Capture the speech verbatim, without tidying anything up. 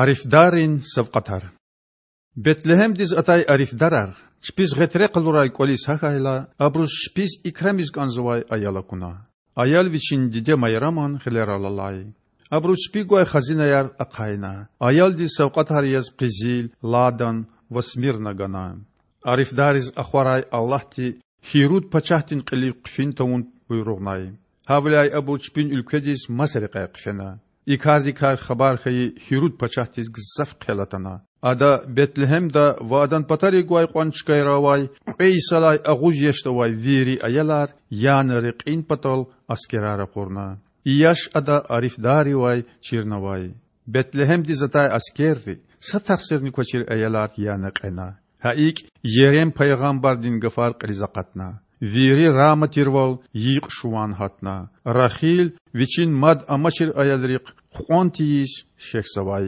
Арифдаррин савкьватар. Бетлегьемдиз атай арифдарар чпиз гъетре къалурай кІвализ гьахьайла, абуруз чпиз икрамиз кІанзавай аял акуна. Аял вичин диде Майраман гъилерал алай. Абуру чпи гвай хазинаяр ахъайна. Аялдиз савкьватар яз къизил, ладан ва смирна гана. Арифдариз ахварай Аллагьди Гьируд пачагьдин кьилив хъфин тавун буйругънай. Гьавиляй абур чпин уьлкведиз маса рекьяй хъфена. И кардикай хабар хьайи Гьируд пачагьдиз гзаф хъел атана. Ада Бетлегьемда ва адан патарив гвай кьван чкайра авай кьве йисалай агъуз яшда авай вири аялар яна рекьин патал аскерар ракъурна. И яш ада арифдаривай чирнавай. Бетлегьемдиз атай аскерри са тахсирни квачир аялар яна кьена. Гьа икІ Ерем пайгъамбардин гафар кьилиз акъатна: Вири Рама тирвал йикь шуван гьатна. Рахил вичин мад амачир аялрихъ хъван тийиз шехьзавай.